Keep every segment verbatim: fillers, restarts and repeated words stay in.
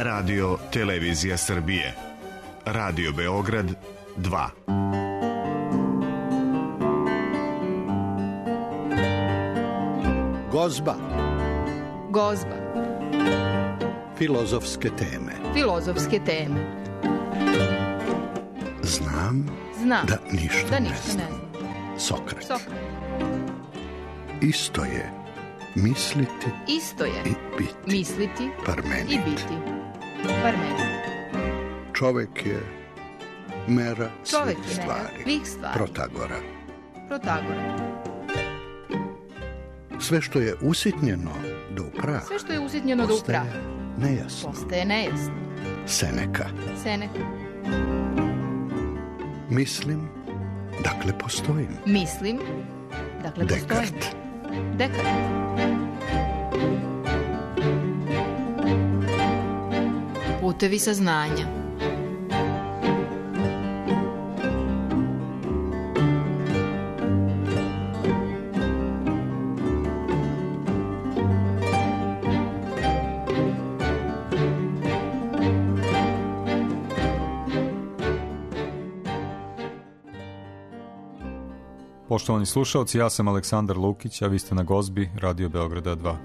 Radio Televizija Srbije. Radio Beograd dva. Gozba. Gozba. Filozofske teme. Filozofske teme. Znam, Znam da ništa, da ne ništa znam. ne znam. Sokrat. Sokrat. Isto je misliti Isto je i biti. misliti Parmenid. i biti. Parmenid. Čovek je mera Čovek svih je mera stvari. svih stvari. Protagora. Protagora. Sve što je usitnjeno do prah Sve što je usitnjeno do postaje praha nejasno. postaje nejasno. Seneka. Seneka. Mislim, dakle postojim. Mislim, dakle postojim. Dekart. Dekart. Putevi saznanja. Poštovani slušalci, ja sam Aleksandar Lukić, a vi ste na Gozbi Radio Beograda dva.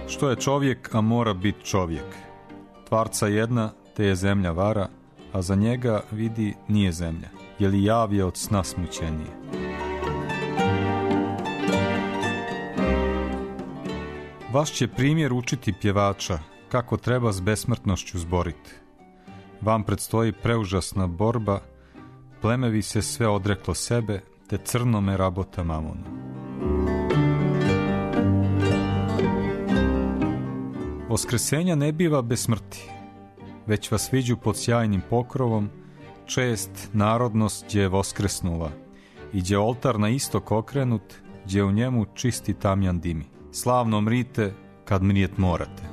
Što je čovjek, a mora biti čovjek? Tvarca jedna, te je zemlja vara, a za njega vidi nije zemlja, je li jav je od sna smućenije. Vaš će primjer učiti pjevača, kako treba s besmrtnošću zboriti. Vam predstoji preužasna borba, plemevi se sve odreklo sebe, te crnome rabota mamonu. Voskresenja ne biva bez smrti, već vas viđu pod sjajnim pokrovom, čest narodnost gdje je voskresnula, i gdje oltar na istok okrenut, gdje u njemu čisti tamjan dimi. Slavno mrite kad mrijet morate.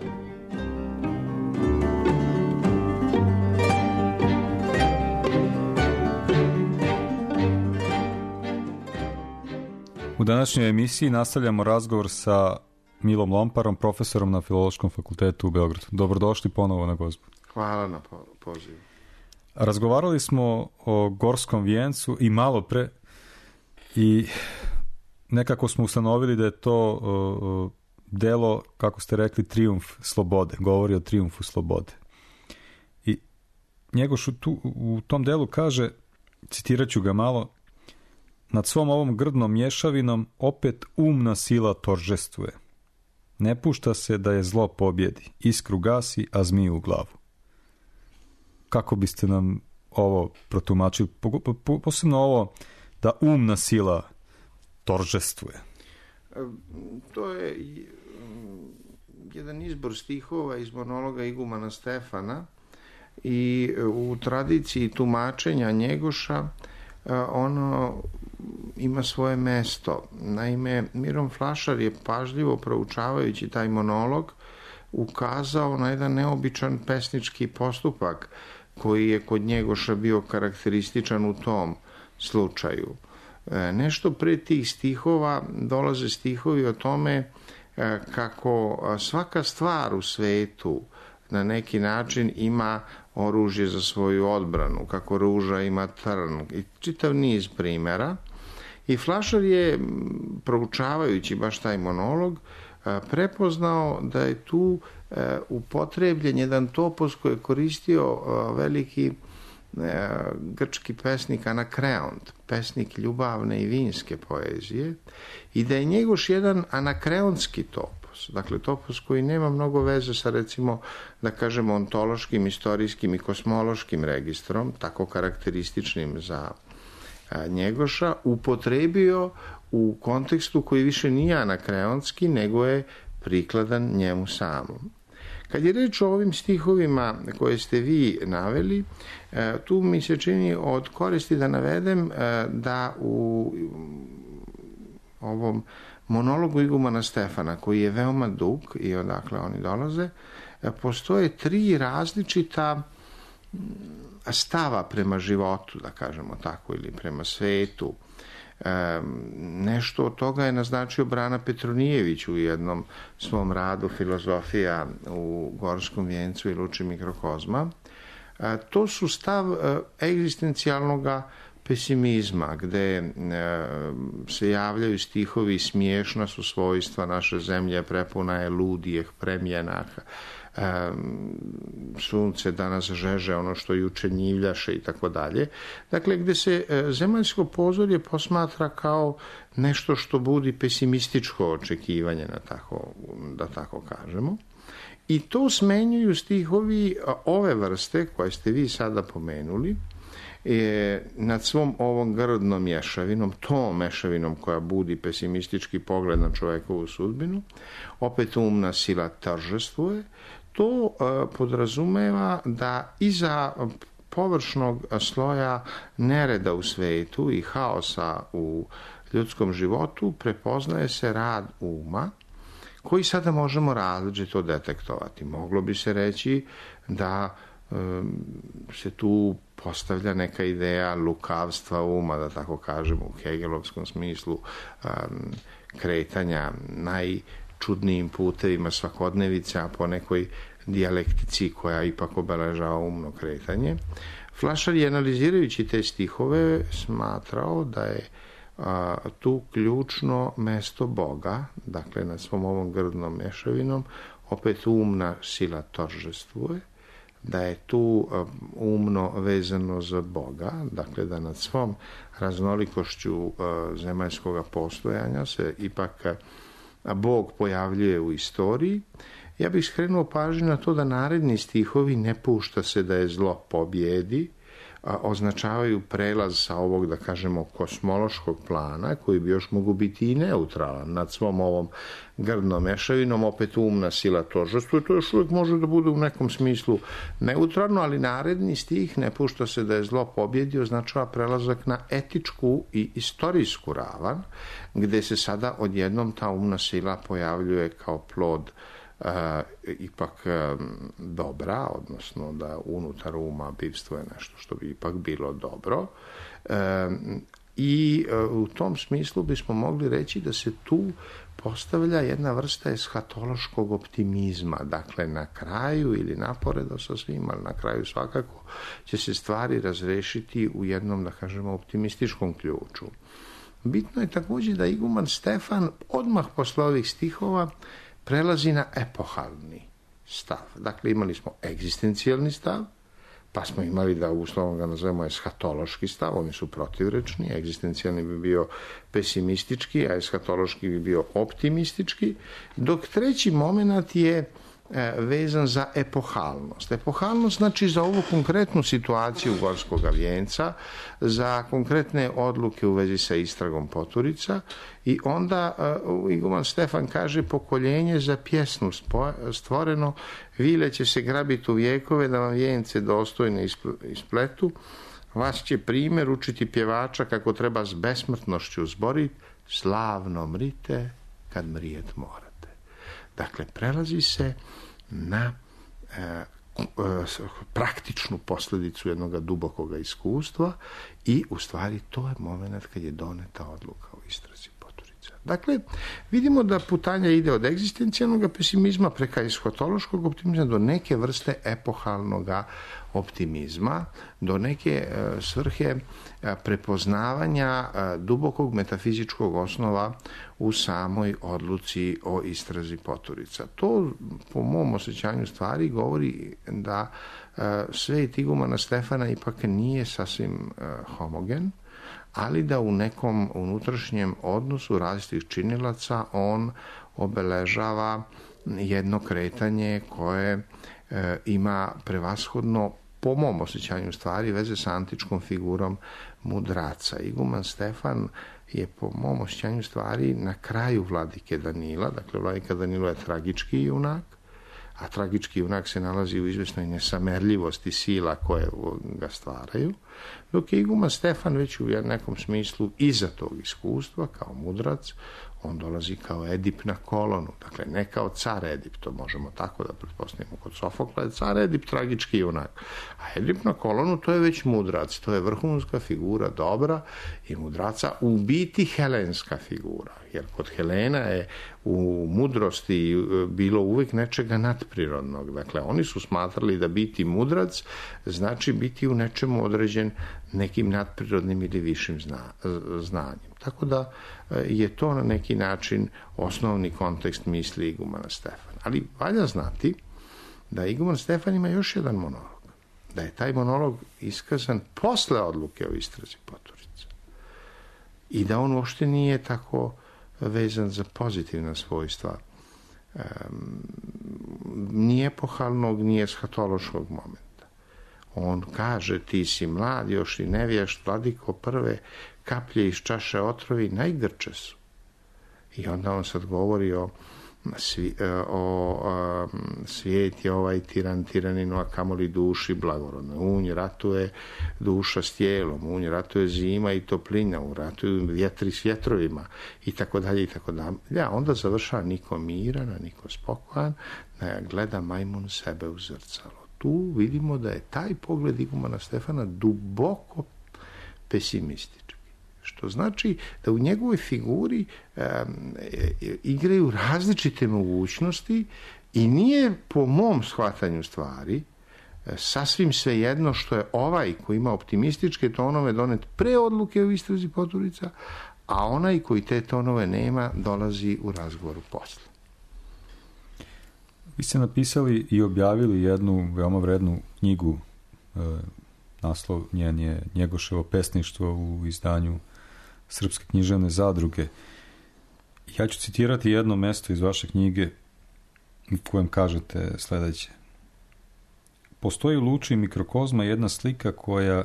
U današnjoj emisiji nastavljamo razgovor sa Milom Lomparom, profesorom na Filološkom fakultetu u Beogradu. Dobrodošli ponovo na Gozbu. Hvala na pozivu. Razgovarali smo o Gorskom vijencu i malo pre i nekako smo ustanovili da je to uh, delo, kako ste rekli, trijumf slobode. Govori o trijumfu slobode. I Njegoš u, tu, u tom delu kaže, citirat ću ga malo, nad svom ovom grdnom mješavinom opet umna sila toržestvuje. Ne pušta se da je zlo pobjedi, iskru gasi, a zmiju u glavu. Kako biste nam ovo protumačili? Posebno ovo da umna sila toržestvuje. To je jedan izbor stihova iz monologa igumana Stefana i u tradiciji tumačenja Njegoša ono ima svoje mesto. Naime, Miron Flašar je pažljivo proučavajući taj monolog ukazao na jedan neobičan pesnički postupak koji je kod Njegoša bio karakterističan u tom slučaju. Nešto pre tih stihova dolaze stihovi o tome kako svaka stvar u svetu na neki način ima oružje za svoju odbranu, kako ruža ima trn i čitav niz primjera. I Flašar je, proučavajući baš taj monolog, prepoznao da je tu upotrebljen jedan topos koji je koristio veliki grčki pesnik Anakreont, pesnik ljubavne i vinske poezije, i da je Njegoš jedan anakreonski topos, dakle topos koji nema mnogo veze sa, recimo, da kažemo, ontološkim, istorijskim i kosmološkim registrom, tako karakterističnim za Njegoša, upotrebio u kontekstu koji više nije anakreonski, nego je prikladan njemu samom. Kad je reč o ovim stihovima koje ste vi naveli, tu mi se čini od koristi da navedem da u ovom monologu igumana Stefana, koji je veoma dug i odakle oni dolaze, postoje tri različita stava prema životu, da kažemo tako, ili prema svetu. Nešto od toga je naznačio Brana Petronijević u jednom svom radu Filozofija u Gorskom vijencu i Luči mikrokozma. To su stav egzistencijalnog pesimizma, gde se javljaju stihovi smiješna su svojstva naše zemlje, prepuna je ludijeh, premjenak, sunce danas žeže ono što juče njivljaše i tako dalje. Dakle, gde se zemaljsko pozorje posmatra kao nešto što budi pesimističko očekivanje, na tako, da tako kažemo. I to smenjuju stihovi ove vrste koje ste vi sada pomenuli, je nad svom ovom grdnom mješavinom, tom mešavinom koja budi pesimistički pogled na čovekovu sudbinu, opet umna sila tržestvuje. To uh, podrazumeva da iza površnog sloja nereda u svetu i haosa u ljudskom životu prepoznaje se rad uma, koji sada možemo različito detektovati. Moglo bi se reći da um, se tu postavlja neka ideja lukavstva uma, da tako kažemo, u hegelovskom smislu, um, kretanja najčudnijim putevima svakodnevice, a po nekoj dijalektici koja ipak obeležava umno kretanje. Flašar je, analizirajući te stihove, smatrao da je a, tu ključno mesto Boga, dakle nad svom ovom grdnom mješavinom, opet umna sila toržestvuje, da je tu umno vezano za Boga, dakle da nad svom raznolikošću zemaljskog postojanja se ipak Bog pojavljuje u istoriji. Ja bih skrenuo pažnju na to da naredni stihovi ne pušta se da je zlo pobjedi, a označavaju prelaz sa ovog, da kažemo, kosmološkog plana, koji bi još mogu biti i neutralan nad svom ovom grdnom mešavinom, opet umna sila tožestva, to još uvijek može da bude u nekom smislu neutralno, ali naredni stih ne pušta se da je zlo pobjedi, označava prelazak na etičku i istorijsku ravan, gde se sada odjednom ta umna sila pojavljuje kao plod Uh, ipak um, dobra, odnosno da unutar uma bivstvo je nešto što bi ipak bilo dobro. Um, I uh, u tom smislu bismo mogli reći da se tu postavlja jedna vrsta eshatološkog optimizma. Dakle, na kraju ili naporedo sa svim, ali na kraju svakako će se stvari razrešiti u jednom, da kažemo, optimističkom ključu. Bitno je također da iguman Stefan odmah posle ovih stihova prelazi na epohalni stav. Dakle, imali smo egzistencijalni stav, pa smo imali, da uslovno ga nazovemo, eshatološki stav, oni su protivrečni, egzistencijalni bi bio pesimistički, a eshatološki bi bio optimistički, dok treći moment je vezan za epohalnost. Epohalnost znači za ovu konkretnu situaciju Gorskog vijenca, za konkretne odluke u vezi sa istragom Poturica, i onda uh, iguman Stefan kaže: pokoljenje za pjesmu stvoreno, vile će se grabiti u vijekove da vam vijence dostojne ispletu, vas će primjer učiti pjevača kako treba s besmrtnošću zboriti, slavno mrite kad mrijet morate. Dakle, prelazi se na e, e, praktičnu posljedicu jednog dubokog iskustva i u stvari to je moment kad je doneta odluka o istrazi Poturica. Dakle, vidimo da putanja ide od egzistencijalnog pesimizma preko eshatološkog optimizma do neke vrste epohalnog optimizma, do neke e, svrhe e, prepoznavanja e, dubokog metafizičkog osnova u samoj odluci o istrazi Poturica. To, po mom osjećanju stvari, govori da e, svet igumana Stefana ipak nije sasvim e, homogen, ali da u nekom unutrašnjem odnosu različitih činilaca on obeležava jedno kretanje koje e, ima prevashodno, po mom osjećanju stvari, veze sa antičkom figurom mudraca. Iguman Stefan je, po mom osjećanju stvari, na kraju vladike Danila. Dakle, vladika Danilo je tragički junak, a tragički junak se nalazi u izvjesnoj nesamerljivosti sila koje ga stvaraju. Dok je iguman Stefan već u nekom smislu iza tog iskustva, kao mudrac, on dolazi kao Edip na kolonu, dakle ne kao car Edip, to možemo tako da pretpostavimo kod Sofokla, je car Edip tragički junak, a Edip na kolonu to je već mudrac, to je vrhunska figura dobra i mudraca, u biti helenska figura, jer kod Helena je u mudrosti bilo uvijek nečega nadprirodnog, dakle oni su smatrali da biti mudrac znači biti u nečemu određen nekim nadprirodnim ili višim zna, znanjem. Tako da je to na neki način osnovni kontekst misli igumana Stefana. Ali valja znati da iguman Stefan ima još jedan monolog. Da je taj monolog iskazan posle odluke o istrazi Poturice. I da on uopšte nije tako vezan za pozitivna svojstva um, ni epohalnog, ni eshatološkog momenta. On kaže, ti si mlad, još i nevješt, vladiko, prve kaplje iz čaše otrovi najgrče su. I onda on sad govori o, svi, o, o svijet je ovaj tiran tiraninu, a kamoli duši blagorodno. Unj ratuje duša s tijelom, unj ratuje zima i toplina, unj ratuju vjetri s vjetrovima i tako dalje i tako dalje. Ja, onda završava niko miran, a niko spokojan, da gleda majmun sebe u zrcalo. Tu vidimo da je taj pogled igumana Stefana duboko pesimistički. Što znači da u njegovoj figuri um, igraju različite mogućnosti i nije po mom shvatanju stvari sasvim svejedno što je ovaj koji ima optimističke tonove donet pre odluke o istrazi Poturica, a onaj koji te tonove nema dolazi u razgovoru posle. Vi ste napisali i objavili jednu veoma vrednu knjigu, e, naslov njen je Njegoševo pesništvo u izdanju Srpske književne zadruge. Ja ću citirati jedno mesto iz vaše knjige u kojem kažete sledeće. Postoji u luči mikrokozma jedna slika koja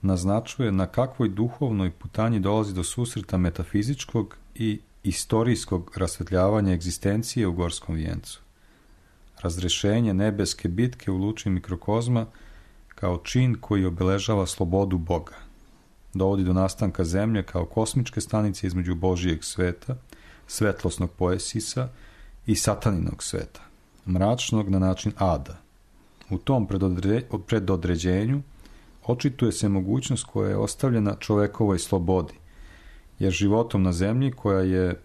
naznačuje na kakvoj duhovnoj putanji dolazi do susreta metafizičkog i istorijskog rasvetljavanja egzistencije u Gorskom vijencu. Razrešenje nebeske bitke u luči mikrokozma kao čin koji obeležava slobodu Boga. Dovodi do nastanka zemlje kao kosmičke stanice između Božijeg sveta, svetlosnog poesisa i sataninog sveta, mračnog na način ada. U tom predodre, predodređenju očituje se mogućnost koja je ostavljena čovekovoj slobodi, jer životom na zemlji koja je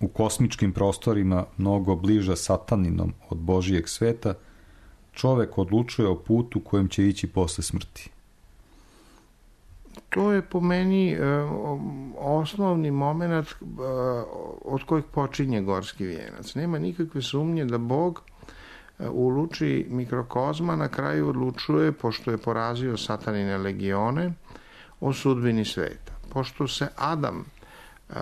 u kosmičkim prostorima mnogo bliža sataninom od Božijeg sveta, čovek odlučuje o putu kojim će ići posle smrti. To je po meni e, osnovni moment e, od kojeg počinje Gorski vijenac. Nema nikakve sumnje da Bog e, u luči mikrokozma na kraju odlučuje, pošto je porazio satanine legione, o sudbini sveta. Pošto se Adam e,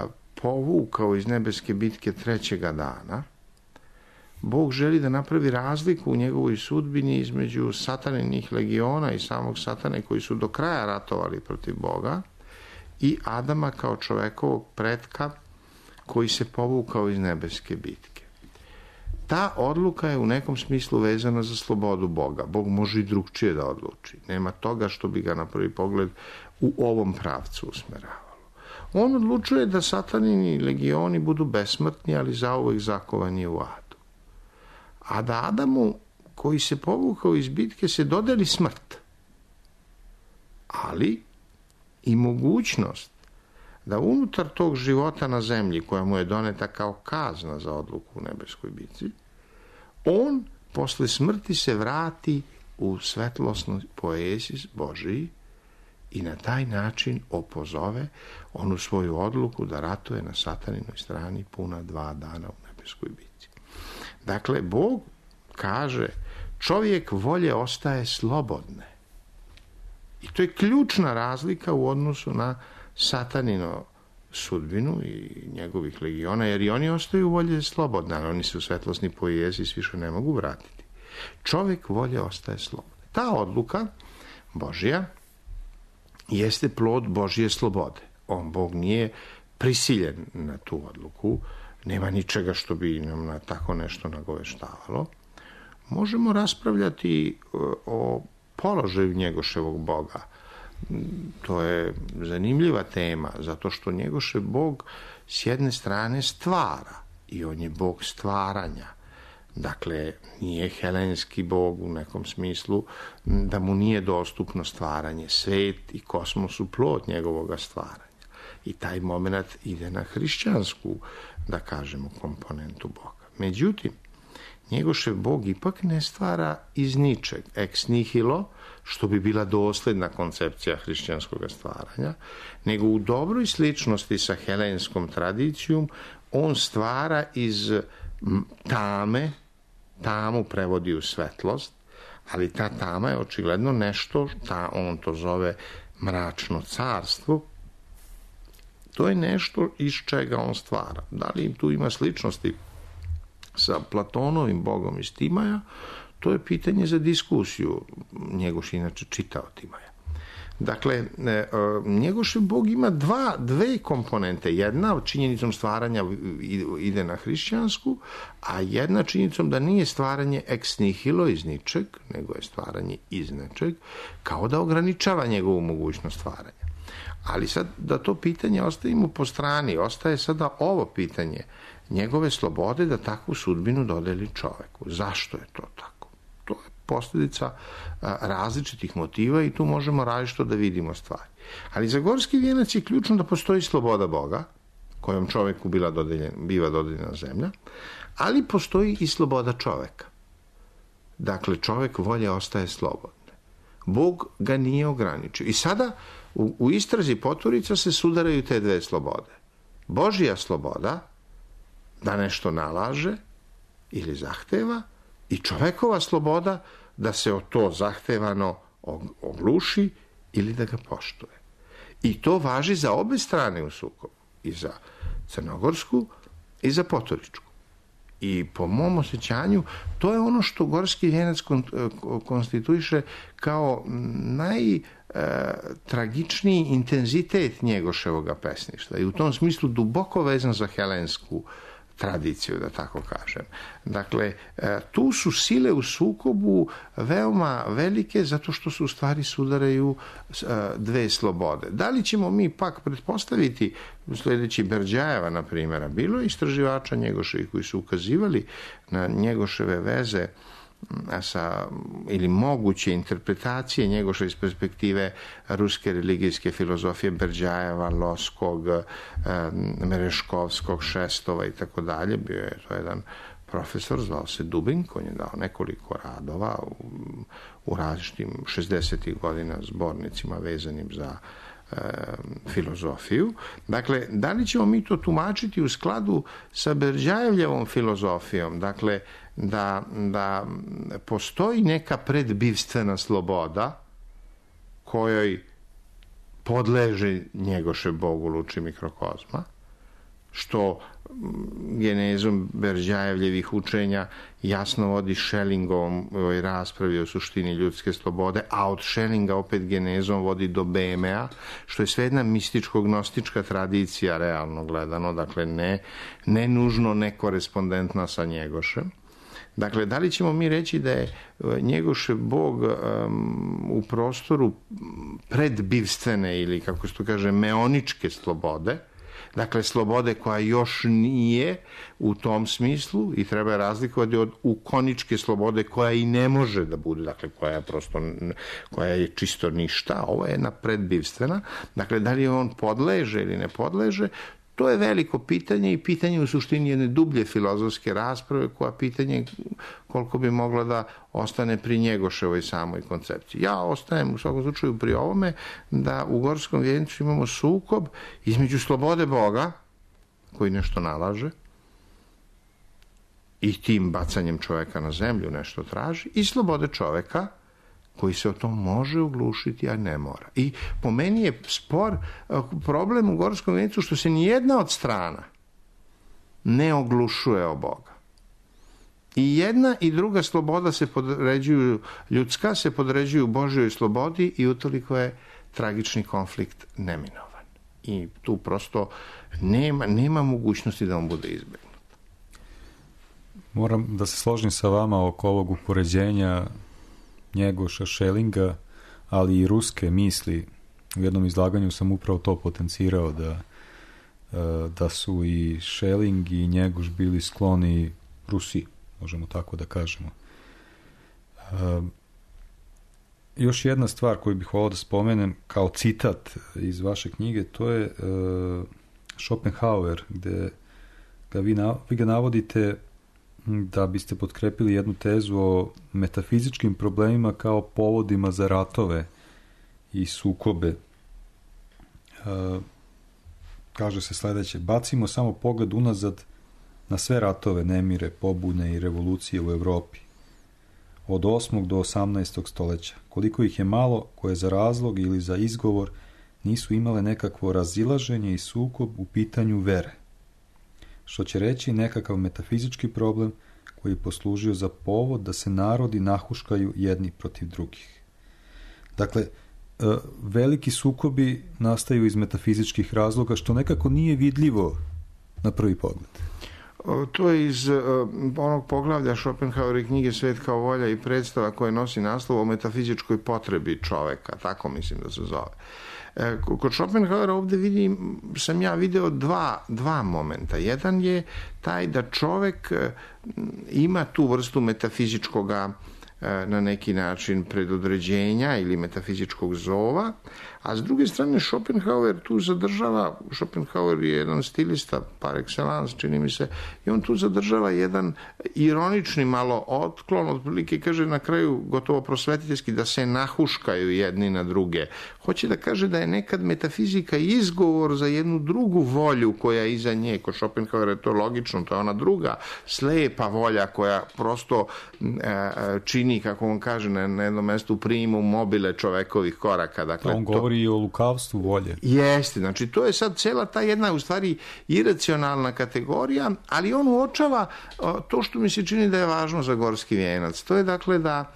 povukao iz nebeske bitke trećega dana, Bog želi da napravi razliku u njegovoj sudbini između sataninih legiona i samog satane koji su do kraja ratovali protiv Boga i Adama kao čovekovog pretka koji se povukao iz nebeske bitke. Ta odluka je u nekom smislu vezana za slobodu Boga. Bog može i drugčije da odluči. Nema toga što bi ga na prvi pogled u ovom pravcu usmeravalo. On odlučuje da satanini legioni budu besmrtni, ali zauvek zakovani u adu. A da Adamu, koji se povukao iz bitke, se dodeli smrt. Ali i mogućnost da unutar tog života na zemlji, koja mu je doneta kao kazna za odluku u nebeskoj bitci, on posle smrti se vrati u svetlosnoj poeziji Božiji i na taj način opozove onu svoju odluku da ratuje na sataninoj strani puna dva dana u nebeskoj bitci. Dakle, Bog kaže, čovjek volje ostaje slobodne. I to je ključna razlika u odnosu na satanino sudbinu i njegovih legiona, jer i oni ostaju volje slobodne, ali oni se u svetlosni poezis više ne mogu vratiti. Čovjek volje ostaje slobodne. Ta odluka Božja jeste plod Božje slobode. On, Bog, nije prisiljen na tu odluku, nema ničega što bi nam na tako nešto nagoveštavalo. Možemo raspravljati o položaju Njegoševog Boga To je zanimljiva tema, zato što Njegošev Bog s jedne strane stvara i on je Bog stvaranja. Dakle, nije helenski Bog u nekom smislu da mu nije dostupno stvaranje. Svet i kosmos su plod njegovoga stvaranja. I taj moment ide na hrišćansku, da kažemo, komponentu Boga. Međutim, Njegošev Bog ipak ne stvara iz ničeg, ex nihilo, što bi bila dosledna koncepcija hrišćanskog stvaranja, nego u dobroj sličnosti sa helenskom tradicijom on stvara iz tame, tamu prevodi u svetlost, ali ta tama je očigledno nešto, ta, on to zove mračno carstvo, to je nešto iz čega on stvara. Da li tu ima sličnosti sa Platonovim Bogom iz Timaja, to je pitanje za diskusiju. Njegoš inače čitao Timaja. Dakle, Njegošev Bog ima dva, dve komponente. Jedna činjenicom stvaranja ide na hrišćansku, a jedna činjenicom da nije stvaranje ex nihilo iz ničeg, nego je stvaranje iz nečeg, kao da ograničava njegovu mogućnost stvaranja. Ali sad da to pitanje ostavimo po strani, ostaje sada ovo pitanje njegove slobode da takvu sudbinu dodeli čoveku. Zašto je to tako? To je posljedica različitih motiva i tu možemo različito da vidimo stvari. Ali za gorski vijenac je ključno da postoji sloboda Boga, kojom čoveku bila dodeljen, biva dodeljena zemlja, ali postoji i sloboda čoveka. Dakle, čovek volje ostaje slobodne. Bog ga nije ograničio. I sada u, u istrazi Poturica se sudaraju te dve slobode. Božja sloboda da nešto nalaže ili zahteva i čovekova sloboda da se o to zahtevano ogluši ili da ga poštuje. I to važi za obe strane u sukobu, i za crnogorsku i za poturičku. I po mom osjećanju to je ono što gorski vijenac konstituiše kao najtragičniji intenzitet Njegoševoga pesništva i u tom smislu duboko vezan za helensku tradiciju, da tako kažem. Dakle, tu su sile u sukobu veoma velike zato što se u stvari sudaraju dve slobode. Da li ćemo mi pak pretpostaviti, sljedeći Berđajeva, na primjera, bilo je istraživača Njegoševih koji su ukazivali na Njegoševe veze sa, ili moguće interpretacije Njegoša iz perspektive ruske religijske filozofije Berđajeva, Loskog, Mereškovskog, Šestova i tako dalje. Bio je to jedan profesor, zvao se Dubin, koji je dao nekoliko radova u, u različitim šezdesetih godina zbornicima vezanim za e, filozofiju. Dakle, da li ćemo mi to tumačiti u skladu sa Berđajevljevom filozofijom? Dakle, da, da postoji neka predbivstvena sloboda kojoj podleže Njegošev Bog u luči mikrokozma, što genezom Berđajevljevih učenja jasno vodi Schellingovom ovoj raspravi o suštini ljudske slobode, a od Schellinga opet genezom vodi do Bemea, što je sve jedna mističko-gnostička tradicija realno gledano, dakle ne, ne nužno nekorespondentna sa Njegošem. Dakle, da li ćemo mi reći da je Njegošev Bog um, u prostoru predbivstvene ili, kako se to kaže, meoničke slobode, dakle, slobode koja još nije u tom smislu i treba razlikovati od ukoničke slobode koja i ne može da bude, dakle, koja je prosto, koja je čisto ništa, ovo je jedna predbivstvena, dakle, da li on podleže ili ne podleže, to je veliko pitanje i pitanje u suštini jedne dublje filozofske rasprave koja pitanje koliko bi mogla da ostane pri Njegoševoj samoj koncepciji. Ja ostajem u svakom slučaju pri ovome da u gorskom vijencu imamo sukob između slobode Boga koji nešto nalaže i tim bacanjem čoveka na zemlju nešto traži i slobode čoveka koji se o tom može oglušiti, a ne mora. I po meni je spor, problem u gorskom vijencu što se nijedna od strana ne oglušuje o Boga. I jedna i druga sloboda se podređuju, ljudska se podređuju Božjoj slobodi i utoliko je tragični konflikt neminovan. I tu prosto nema, nema mogućnosti da on bude izbegnut. Moram da se složim sa vama oko ovog upoređenja Njegoša, Schellinga, ali i ruske misli U jednom izlaganju sam upravo to potencirao, da, da su i Schelling i Njegoš bili skloni Rusiji, možemo tako da kažemo. Još jedna stvar koju bih volio da spomenem kao citat iz vaše knjige, to je Schopenhauer, gde ga vi, vi ga navodite da biste potkrepili jednu tezu o metafizičkim problemima kao povodima za ratove i sukobe. Uh, kaže se sledeće: bacimo samo pogled unazad na sve ratove, nemire, pobune i revolucije u Evropi od osmog do osamnaestog stoljeća. Koliko ih je malo koje za razlog ili za izgovor nisu imale nekakvo razilaženje i sukob u pitanju vere, što će reći nekakav metafizički problem koji je poslužio za povod da se narodi nahuškaju jedni protiv drugih. Dakle, veliki sukobi nastaju iz metafizičkih razloga, što nekako nije vidljivo na prvi pogled. To je iz onog poglavlja Schopenhauer i knjige Svet kao volja i predstava koje nosi naslov o metafizičkoj potrebi čoveka, tako mislim da se zove. Kod Schopenhauera ovdje vidim, sam ja video dva, dva momenta. Jedan je taj da čovek ima tu vrstu metafizičkoga na neki način predodređenja ili metafizičkog zova, a s druge strane Schopenhauer tu zadržava, Schopenhauer je jedan stilista par excellence, čini mi se, i on tu zadržava jedan ironični malo otklon, otprilike kaže na kraju gotovo prosvetiteljski da se nahuškaju jedni na druge. Hoće da kaže da je nekad metafizika izgovor za jednu drugu volju koja je iza nje. Kod Schopenhauera je to logično, to je ona druga slepa volja koja prosto e, čini, kako on kaže na, na jednom mestu, primum mobile čovekovih koraka. Dakle, on govori i o lukavstvu volje. Jeste, znači to je sad cela ta jedna u stvari iracionalna kategorija, ali on uočava to što mi se čini da je važno za Gorski vijenac. To je dakle da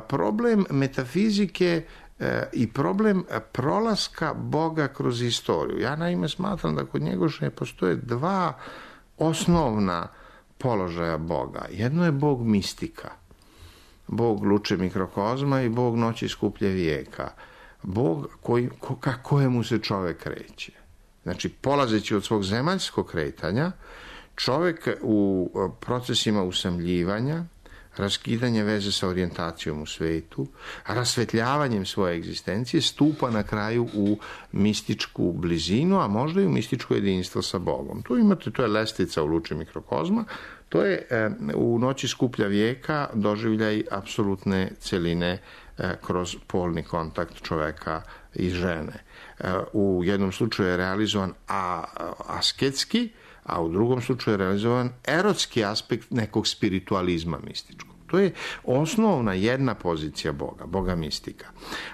problem metafizike i problem prolaska Boga kroz istoriju. Ja naime smatram da kod Njegoša postoje dva osnovna položaja Boga. Jedno je Bog mistika, Bog luče mikrokozma i Bog noći skuplje vijeka. Bog koji, ko, ka kojemu se čovek kreće. Znači, polazeći od svog zemaljskog kretanja, čovek u procesima usamljivanja, raskidanje veze sa orijentacijom u svetu, rasvetljavanjem svoje egzistencije, stupa na kraju u mističku blizinu, a možda i u mističko jedinstvo sa Bogom. Tu imate, to je lestvica u luči mikrokozma, to je e, u noći skuplja vijeka doživljaj apsolutne celine e, kroz polni kontakt čoveka i žene. E, u jednom slučaju je realizovan a, asketski, a u drugom slučaju je realizovan erotski aspekt nekog spiritualizma mističkog. To je osnovna jedna pozicija Boga, Boga mistika.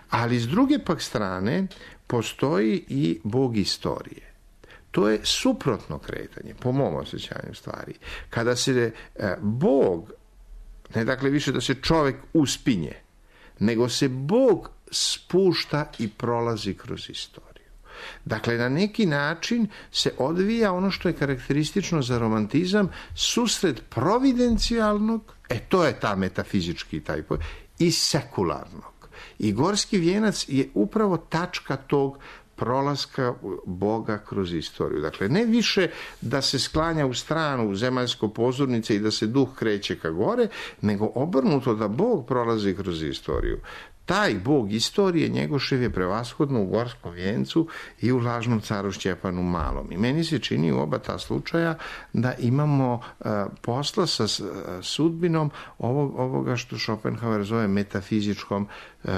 Ali s druge pak strane postoji i Bog istorije. To je suprotno kretanje, po mom osjećanju stvari. Kada se e, Bog, ne dakle više da se čovjek uspinje, nego se Bog spušta i prolazi kroz istoriju. Dakle, na neki način se odvija ono što je karakteristično za romantizam, susret providencijalnog, e to je ta metafizički taj pojam, i sekularnog. I Gorski vijenac je upravo tačka tog prolaska Boga kroz istoriju. Dakle, ne više da se sklanja u stranu u zemaljsko pozornice i da se duh kreće ka gore, nego obrnuto da Bog prolazi kroz istoriju. Taj Bog istorije Njegošev je prevashodno u Gorskom vijencu i u Lažnom caru Šćepanu Malom. I meni se čini u oba ta slučaja da imamo uh, posla sa uh, sudbinom ovog, ovoga što Schopenhauer zove metafizičkom uh,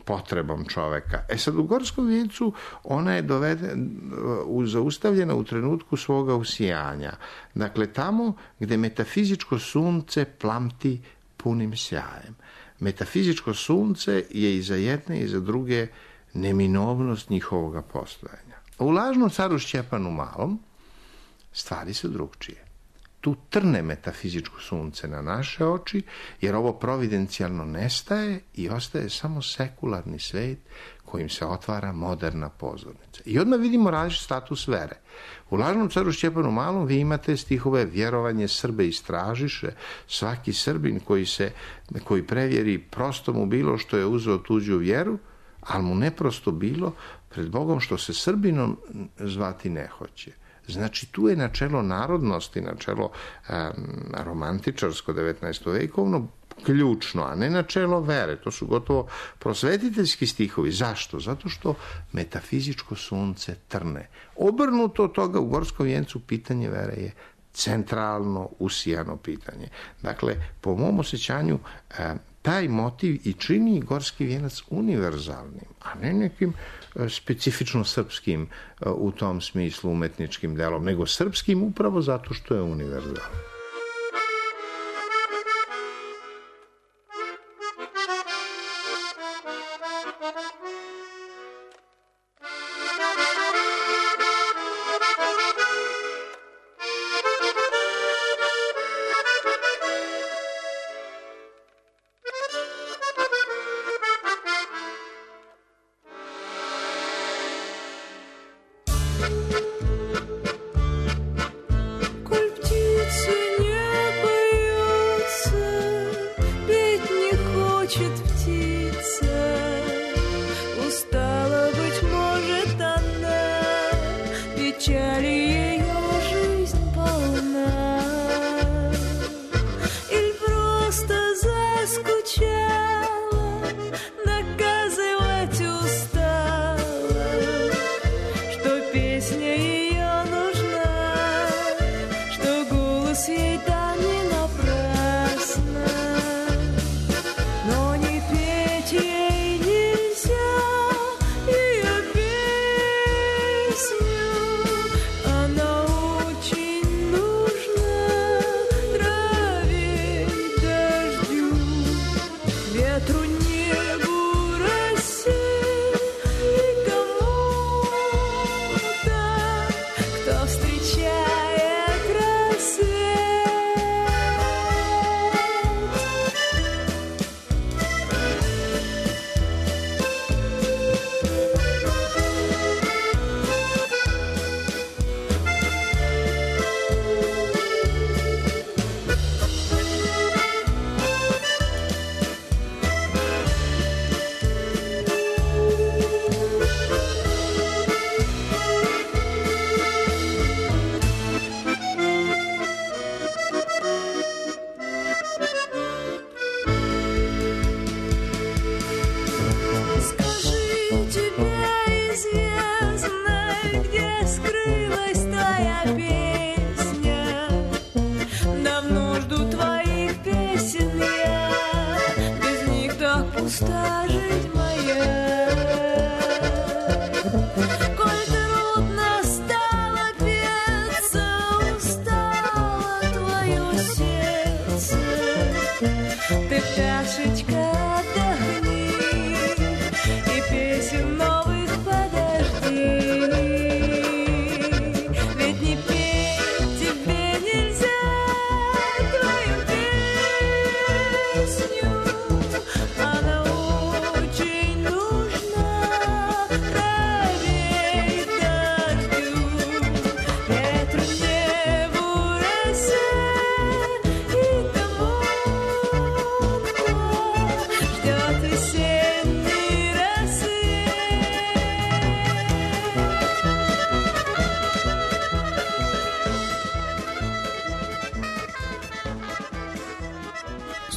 potrebom čoveka. E sad, u Gorskom vijencu ona je doveden, uh, zaustavljena u trenutku svoga usijanja. Dakle, tamo gde metafizičko sunce plamti punim sjajem. Metafizičko sunce je i za jedne i za druge neminovnost njihovoga postojanja. U Lažnom caru Šćepanu Malom stvari su drugčije. Tu trne metafizičko sunce na naše oči, jer ovo providencijalno nestaje i ostaje samo sekularni svet kojim se otvara moderna pozornica. I odmah vidimo različit status vere. U Lažnom caru Šćepanu Malom vi imate stihove vjerovanje Srbe istražiše, svaki Srbin koji se koji prevjeri prosto mu bilo što je uzeo tuđu vjeru, ali mu neprosto bilo pred Bogom što se Srbinom zvati ne hoće. Znači, tu je načelo narodnosti, načelo um, romantičarsko devetnaestovekovno ključno, a ne načelo vere. To su gotovo prosvetiteljski stihovi. Zašto? Zato što metafizičko sunce trne. Obrnuto od toga u Gorskom vijencu pitanje vere je centralno usijano pitanje. Dakle, po mom osjećanju, taj motiv i čini Gorski vijenac univerzalnim, a ne nekim specifično srpskim u tom smislu umetničkim delom, nego srpskim upravo zato što je univerzalan.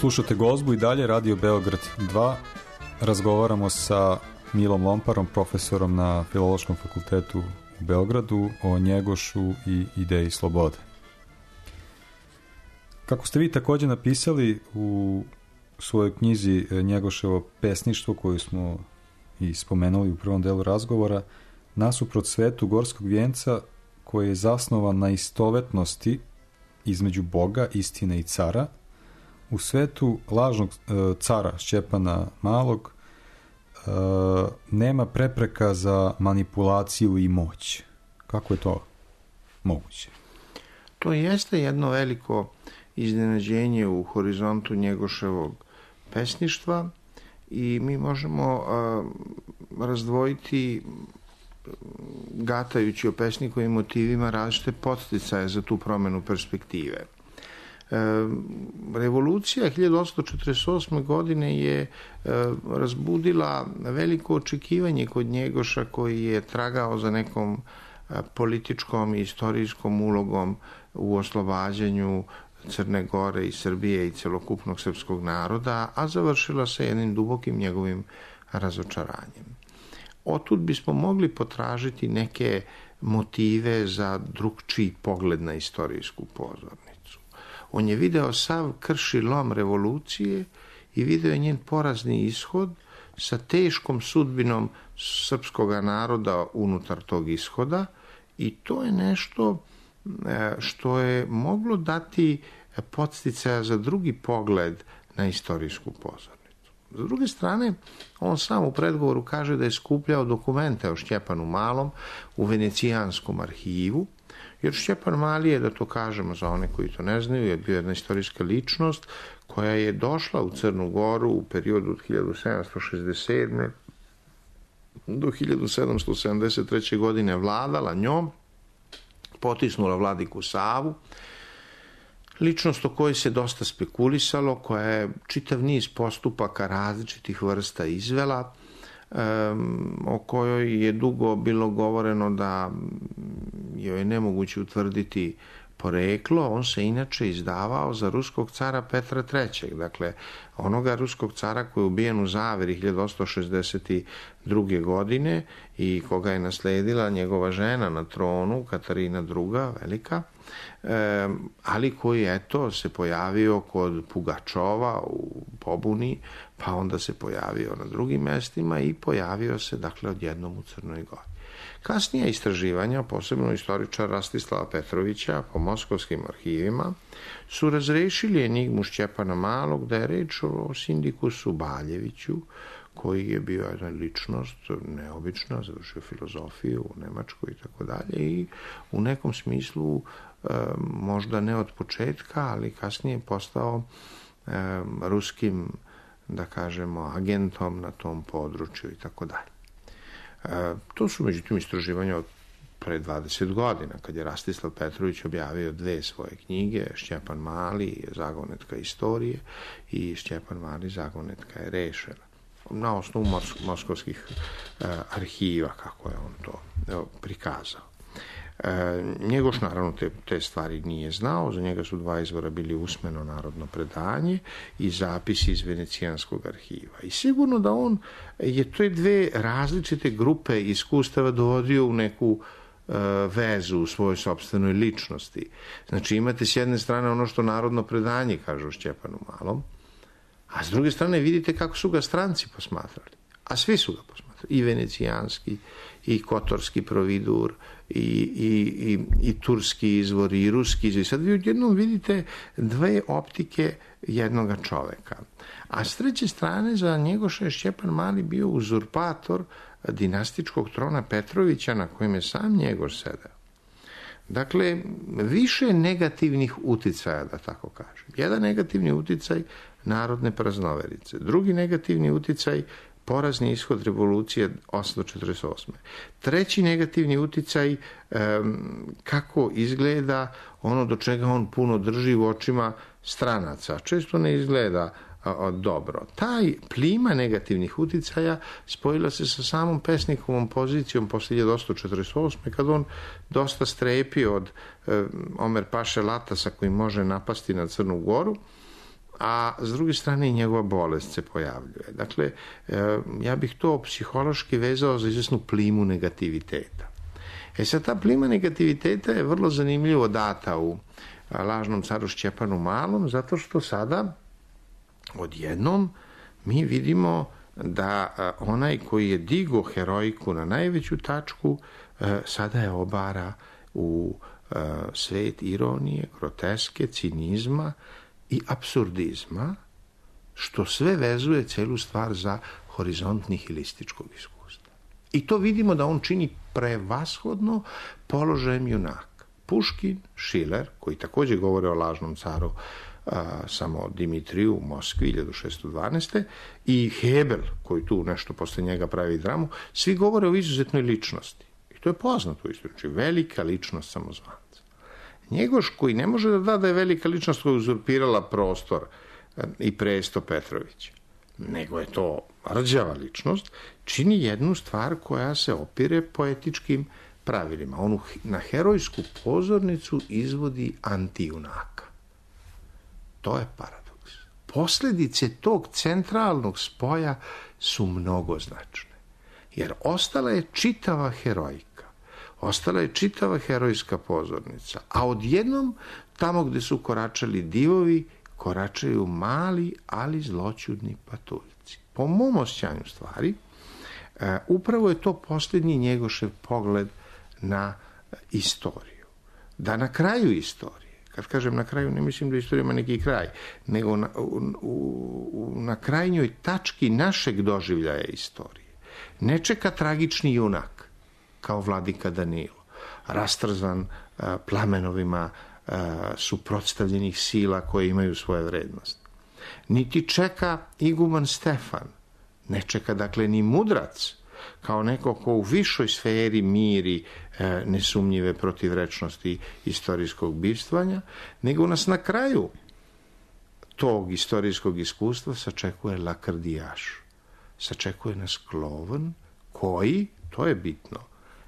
Slušate Gozbu i dalje, Radio Beograd dva. Razgovaramo sa Milom Lomparom, profesorom na Filološkom fakultetu u Beogradu, o Njegošu i ideji slobode. Kako ste vi također napisali u svojoj knjizi Njegoševo pesništvo, koju smo i spomenuli u prvom delu razgovora, nasuprot svetu Gorskog vijenca, koji je zasnovan na istovetnosti između Boga, istine i cara, u svetu lažnog e, cara Šćepana Malog e, nema prepreka za manipulaciju i moć. Kako je to moguće? To jeste jedno veliko iznenađenje u horizontu Njegoševog pesništva i mi možemo a, razdvojiti, gatajući o pesnikovim motivima, različite podsticaje za tu promenu perspektive. Revolucija hiljadu osamsto četrdeset osme. godine je razbudila veliko očekivanje kod Njegoša, koji je tragao za nekom političkom i istorijskom ulogom u oslobađanju Crne Gore i Srbije i celokupnog srpskog naroda, a završila se jednim dubokim njegovim razočaranjem. Otud bismo mogli potražiti neke motive za drugčiji pogled na istorijsku pozornicu. On je video sav krši lom revolucije i video je njen porazni ishod sa teškom sudbinom srpskog naroda unutar tog ishoda, i to je nešto što je moglo dati podsticaja za drugi pogled na istorijsku pozornicu. S druge strane, on sam u predgovoru kaže da je skupljao dokumente o Šćepanu Malom u Venecijanskom arhivu, jer Šćepan Mali je, da to kažemo za one koji to ne znaju, je bio jedna istorijska ličnost koja je došla u Crnu Goru u periodu od hiljadu sedamsto šezdeset sedme. do hiljadu sedamsto sedamdeset treće. godine vladala njom, potisnula vladiku Savu, ličnost o kojoj se dosta spekulisalo, koja je čitav niz postupaka različitih vrsta izvela, um, o kojoj je dugo bilo govoreno da joj je nemoguće utvrditi poreklo. On se inače izdavao za ruskog cara Petra trećeg. Dakle, onoga ruskog cara koji je ubijen u zaveri hiljadu osamsto šezdeset druge. godine i koga je nasledila njegova žena na tronu, Katarina druga. velika, e, ali koji, eto, se pojavio kod Pugačova u pobuni, pa onda se pojavio na drugim mestima i pojavio se, dakle, odjednom u Crnoj Gori. Kasnija istraživanja, posebno istoričara Rastislava Petrovića po moskovskim arhivima, su razrešili enigmu Šćepana Malog, da je reč o Sindikusu Baljeviću, koji je bio jedna ličnost neobična, završio filozofiju u Nemačkoj i tako dalje, i u nekom smislu e, možda ne od početka, ali kasnije postao e, ruskim, da kažemo, agentom na tom području i tako dalje. E, to su međutim istraživanja od pre dvadeset godina, kad je Rastislav Petrović objavio dve svoje knjige, Šćepan Mali, Zagonetka istorije, i Šćepan Mali, Zagonetka je rešena, na osnovu mos- moskovskih e, arhiva, kako je on to evo, prikazao. E, Njegoš naravno te, te stvari nije znao, za njega su dva izvora bili usmeno narodno predanje i zapisi iz Venecijanskog arhiva. I sigurno da on je te dve različite grupe iskustava dovodio u neku e, vezu u svojoj sopstvenoj ličnosti. Znači, imate s jedne strane ono što narodno predanje kaže o Šćepanu Malom, a s druge strane vidite kako su ga stranci posmatrali. A svi su ga posmatrali. I venecijanski, i kotorski providur, i, i, i, i turski izvor, i ruski izvor. Sad vi odjednom vidite dve optike jednoga čoveka. A s treće strane, za Njegoša je Šćepan Mali bio uzurpator dinastičkog trona Petrovića, na kojem je sam Njegoš sedeo. Dakle, više negativnih uticaja, da tako kažem. Jedan negativni uticaj narodne praznoverice. Drugi negativni uticaj porazni ishod revolucije osamsto četrdeset osme. Treći negativni uticaj um, kako izgleda ono do čega on puno drži u očima stranaca. Često ne izgleda a, dobro. Taj plima negativnih uticaja spojila se sa samom pesnikovom pozicijom posle hiljadu osamsto četrdeset osme. kad on dosta strepi od um, Omer Paše Latasa koji može napasti na Crnu Goru, a s druge strane i njegova bolest se pojavljuje. Dakle, ja bih to psihološki vezao za izvesnu plimu negativiteta. E sad, ta plima negativiteta je vrlo zanimljivo data u Lažnom caru Šćepanu Malom, zato što sada odjednom mi vidimo da onaj koji je digo heroiku na najveću tačku, sada je obara u svet ironije, groteske, cinizma i apsurdizma, što sve vezuje celu stvar za horizont nihilističkog iskustva. I to vidimo da on čini prevashodno položajem junaka. Puškin, Šiler, koji također govore o lažnom caru a, samo Dimitriju u Moskvi hiljadu šeststo dvanaeste. i Hebel, koji tu nešto posle njega pravi dramu, svi govore o izuzetnoj ličnosti. I to je poznato u istoriji, velika ličnost samozvanca. Njegoš koji ne može da da da je velika ličnost koja je uzurpirala prostor i presto Petrovića, nego je to rđava ličnost, čini jednu stvar koja se opire poetičkim pravilima. On na herojsku pozornicu izvodi antijunaka. To je paradoks. Posljedice tog centralnog spoja su mnogoznačne. Jer ostala je čitava herojka, ostala je čitava herojska pozornica, a odjednom tamo gde su koračali divovi, koračaju mali, ali zloćudni patuljci. Po mom osjećanju stvari, upravo je to posljednji Njegošev pogled na istoriju. Da na kraju istorije, kad kažem na kraju, ne mislim da istorija ima neki kraj, nego na, u, u, na krajnjoj tački našeg doživljaja istorije ne čeka tragični junak, kao vladika Danilo, rastrzan a, plamenovima a, suprotstavljenih sila koje imaju svoje vrednost. Niti čeka iguman Stefan, ne čeka dakle ni mudrac, kao neko ko u višoj sferi miri e, nesumnjive protivrečnosti istorijskog bivstvanja, nego nas na kraju tog istorijskog iskustva sačekuje lakrdijaš. Sačekuje nas klovan koji, to je bitno,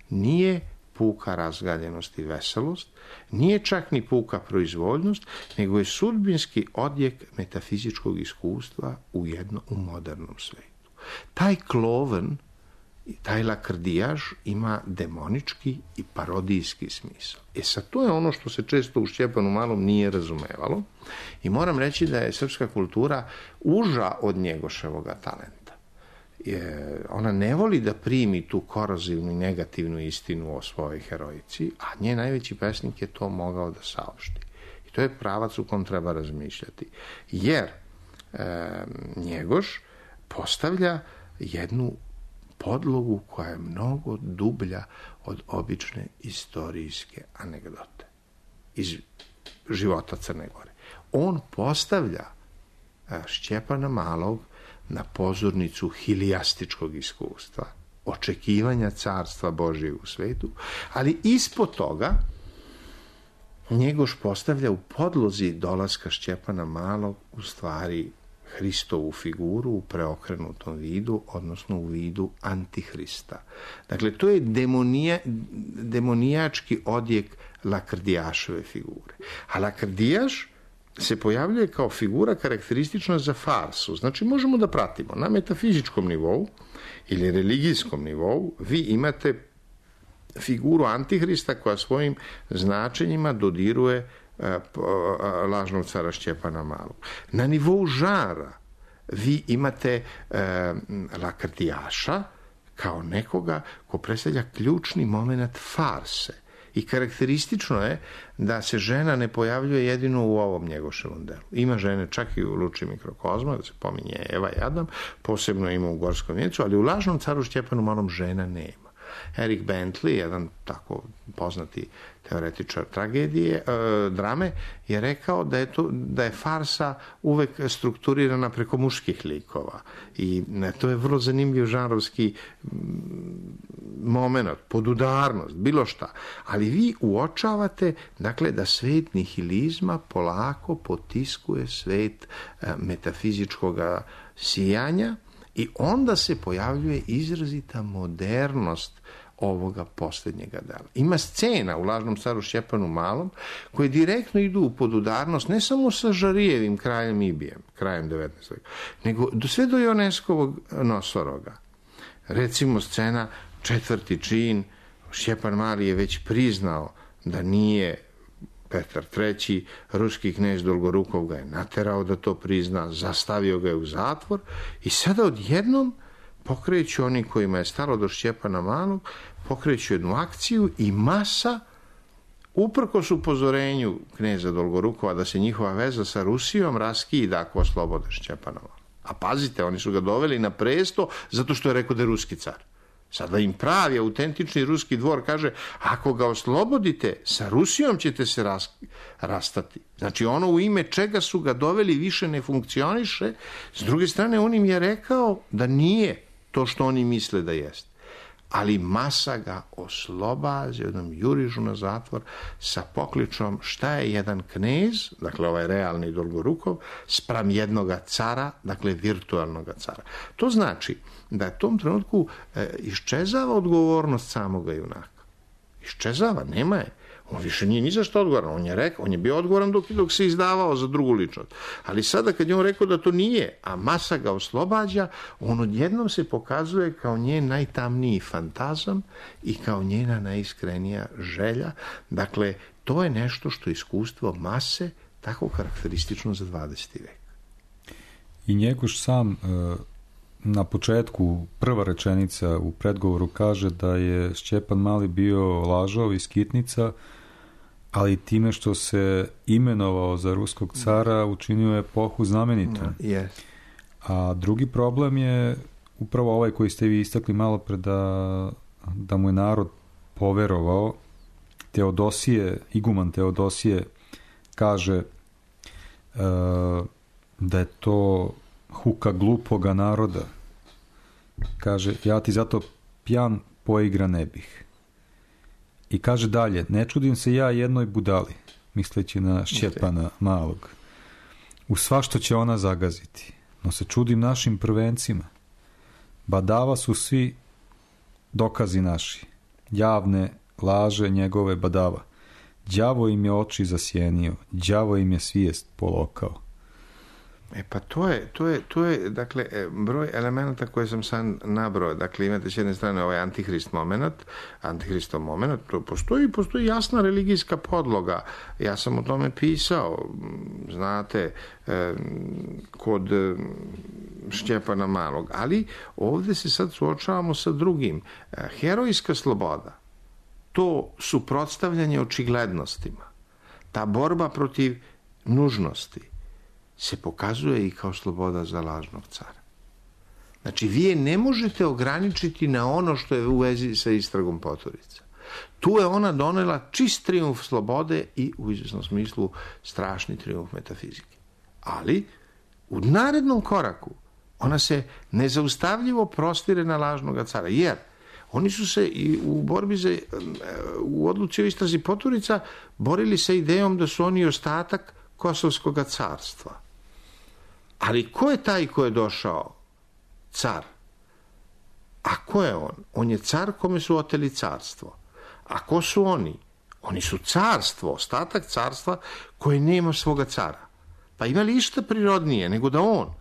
nije puka razgaljenost i veselost, nije čak ni puka proizvoljnost, nego je sudbinski odjek metafizičkog iskustva u jedno u modernom svetu. Taj klovan, taj lakrdijaš ima demonički i parodijski smisao. E sad, to je ono što se često u Šćepanu Malom nije razumevalo i moram reći da je srpska kultura uža od Njegoševoga talenta. Je, ona ne voli da primi tu korozivnu i negativnu istinu o svojoj herojici, a njen najveći pesnik je to mogao da saopšti. I to je pravac u kom treba razmišljati. Jer e, Njegoš postavlja jednu podlogu koja je mnogo dublja od obične istorijske anegdote iz života Crne Gore. On postavlja Šćepana Malog na pozornicu hilijastičkog iskustva, očekivanja carstva Božjeg u svetu, ali ispod toga Njegoš postavlja u podlozi dolaska Šćepana Malog u stvari Hristovu figuru u preokrenutom vidu, odnosno u vidu Antihrista. Dakle, to je demonija, demonijački odjek lakrdijašove figure. A lakrdijaš se pojavljuje kao figura karakteristična za farsu. Znači, možemo da pratimo na metafizičkom nivou ili religijskom nivou. Vi imate figuru Antihrista koja svojim značenjima dodiruje lažnog cara Šćepana Malog. Na nivou žara vi imate e, lakrdijaša kao nekoga ko predstavlja ključni moment farse. I karakteristično je da se žena ne pojavljuje jedino u ovom Njegoševom delu. Ima žene čak i u Luči mikrokozma, da se pominje Eva i Adam, posebno ima u Gorskom vijencu, ali u lažnom caru Šćepanu Malom žena nema. Eric Bentley, jedan tako poznati teoretičar tragedije, e, drame, je rekao da je, to, da je farsa uvek strukturirana preko muških likova. I ne, to je vrlo zanimljiv žanrovski moment, podudarnost, bilo šta. Ali vi uočavate, dakle, da svet nihilizma polako potiskuje svet e, metafizičkog sijanja i onda se pojavljuje izrazita modernost ovoga posljednjega dela. Ima scena u lažnom caru Šćepanu Malom koje direktno idu u podudarnost ne samo sa Žarijevim kraljem Ibijem, krajem devetnaestog veka, nego do sve do Ioneskovog Nosoroga. Recimo scena četvrti čin, Šćepan Mali je već priznao da nije Petar treći, ruski knez Dolgorukov ga je naterao da to prizna, zastavio ga je u zatvor i sada odjednom pokreću oni kojima je stalo do Šćepana Malog, pokreću jednu akciju i masa, uprkos upozorenju kneza Dolgorukova da se njihova veza sa Rusijom raskida ako oslobode Šćepana Malog. A pazite, oni su ga doveli na presto zato što je rekao da je ruski car. Sada im pravi, autentični ruski dvor kaže, ako ga oslobodite, sa Rusijom ćete se ras, rastati. Znači, ono u ime čega su ga doveli više ne funkcioniše. S druge strane, on im je rekao da nije to što oni misle da jeste. ali masa ga oslobađa, jednom jurižu na zatvor sa pokličom šta je jedan knez, dakle ovaj realni Dolgorukov, spram jednoga cara, dakle virtualnoga cara. To znači da u tom trenutku e, iščezava odgovornost samoga junaka. Iščezava, nema je. On više nije ni za što odgovoran. On je rekao, on je bio odgovoran dok, dok se izdavao za drugu ličnost. Ali sada kad je on rekao da to nije, a masa ga oslobađa, on odjednom se pokazuje kao njen najtamniji fantazam i kao njena najiskrenija želja. Dakle, to je nešto što je iskustvo mase tako karakteristično za dvadeseti vek. I Njegoš sam na početku, prva rečenica u predgovoru kaže da je Šćepan Mali bio lažov i skitnica, ali time što se imenovao za ruskog cara učinio je epohu znamenitom. Yes. A drugi problem je upravo ovaj koji ste vi istakli malo pre, da, da mu je narod poverovao. Teodosije, iguman Teodosije kaže uh, da je to huka glupoga naroda. Kaže, ja ti zato pjan poigra ne bih. I kaže dalje, ne čudim se ja jednoj budali, misleći na Šćepana Malog. U svašto će ona zagaziti, no se čudim našim prvencima. Badava su svi dokazi naši, javne laže njegove badava. Đavo im je oči zasjenio, đavo im je svijest polokao. E pa to je, to je, to je, dakle, broj elemenata koje sam sam nabrao. Dakle, imate s jedne strane ovaj antihrist moment, antihristov moment, to postoji, postoji jasna religijska podloga. Ja sam o tome pisao, znate, kod Šćepana Malog. Ali ovdje se sad suočavamo sa drugim. Herojska sloboda, to suprotstavljanje očiglednostima, ta borba protiv nužnosti, se pokazuje i kao sloboda za lažnog cara. Znači, vi je ne možete ograničiti na ono što je u vezi sa istragom Poturica. Tu je ona donela čist trijumf slobode i u izvjesnom smislu strašni trijumf metafizike. Ali, u narednom koraku, ona se nezaustavljivo prostire na lažnog cara, jer oni su se i u borbi za, u odluci o istrazi Poturica borili sa idejom da su oni ostatak Kosovskog carstva. Ali ko je taj ko je došao? Car. A ko je on? On je car kome su oteli carstvo. A ko su oni? Oni su carstvo, ostatak carstva koje nema svoga cara. Pa ima li išta prirodnije nego da on,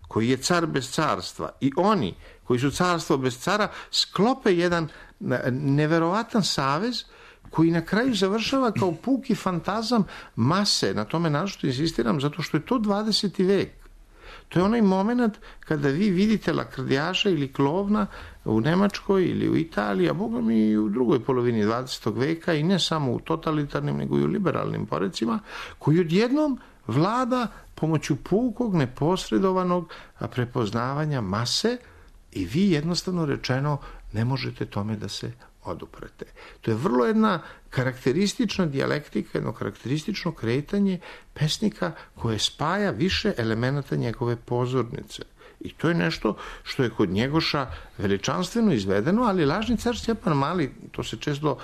koji je car bez carstva, i oni koji su carstvo bez cara, sklope jedan neverovatan savez koji na kraju završava kao puki fantazam mase. Na tome našto insistiram, zato što je to dvadeseti vek. To je onaj moment kada vi vidite lakrdijaša ili klovna u Nemačkoj ili u Italiji, a boga mi i u drugoj polovini dvadesetog veka, i ne samo u totalitarnim nego i u liberalnim porecima, koji odjednom vlada pomoću pukog, neposredovanog prepoznavanja mase, i vi jednostavno rečeno ne možete tome da se oduprete. To je vrlo jedna karakteristična dijalektika, jedno karakteristično kretanje pesnika koje spaja više elemenata njegove pozornice. I to je nešto što je kod Njegoša veličanstveno izvedeno, ali lažni car Šćepan Mali, to se često